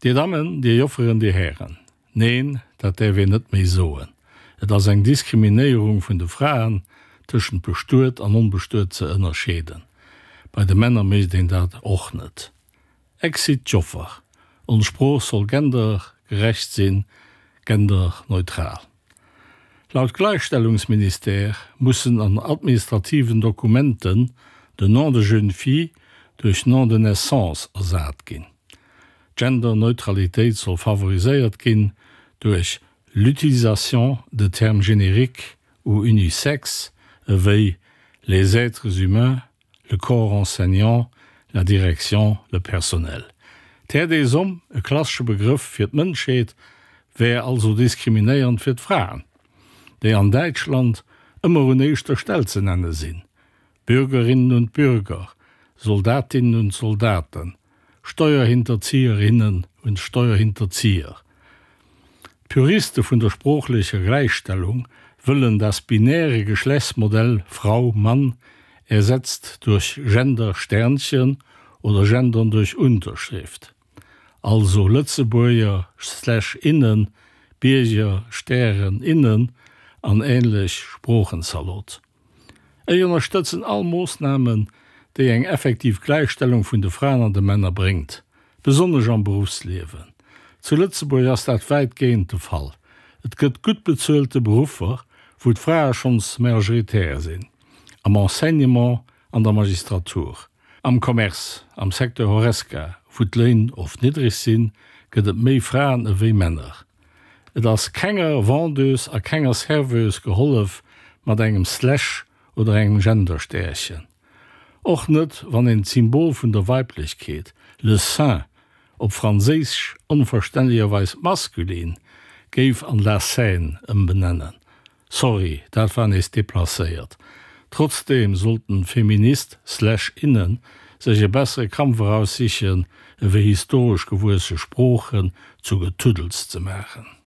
Dir Dammen, Dir Jofferen, Dir Hären, neen, dat däerf een net méi soen. Et ass eng Diskriminéierung vun de Fraen, tëschent bestuet an onbestuet ze ënnerscheeden. Bei de Männer mécht een dat och net. Exit d'Joffer. Ons Sprooch soll gendergerecht sinn, genderneutral. Laut Gleichstellungsministère mussen an administrativen Dokumenten den Nom de jeune fille duerch Nom de naissance ersat ginn. D'Genderneutralitéit soll favoriséiert ginn duerch l'utilisation de termes génériques ou unisexes ewéi les êtres humains, le corps enseignant, la direction, le personnel. D'Terre des hommes, e klassesche Begrëff fir d'Mënschheet, wär also diskriminéiernd fir d'Fraen, déi an Däitschland ëmmer un éischter Stell ze nenne sinn, Bürgerinnen und Bürger, Soldatinnen und Soldaten, Steuerhinterzieherinnen und Steuerhinterzieher. D'Puriste vun der sproochlecher Gläichstellung wëllen das binäre Geschlechtsmodell Frau-Mann ersetzt durch Gender-Sternchen oder Gendern durch Unterschrift, also Lëtzebuerger slash innen, Bierger Stären innen an ähnlech Sproochenzalot. Ech ënnerstëtzen all Moossnamen, déi eng effektiv Gläichstellung vun de Fraen an de Männer bréngt, besonnesch am Beruffsliewen. Zu Lëtzebuerg ass dat wäitgehend de Fall. Et gëtt gutt bezuelte Beruffer, wou d'Frae schonns majoritär sinn, am Enseignement, an der Magistratur, am Commerce, am Secteur Horesca, wou d'Léin oft niddreg sinn, gëtt et méi Fraen ewéi Männer. Et ass kenger Vendeuse a kenger Serveuse gehollef mat engem Slash oder engem Genderstärchen. Och net wann een d'Symbol vun der Weiblechkeet, le sein, op Franséisch onverständlecherweis maskulin, géif an la scène ëmbenennen. Sorry, dat war nees deplacéiert. Trotzdeem sollten Feminist slash innen sech e bessere Kampf eraussichen ewéi historesch gewuesse Sproochen zu Getuddels ze maachen.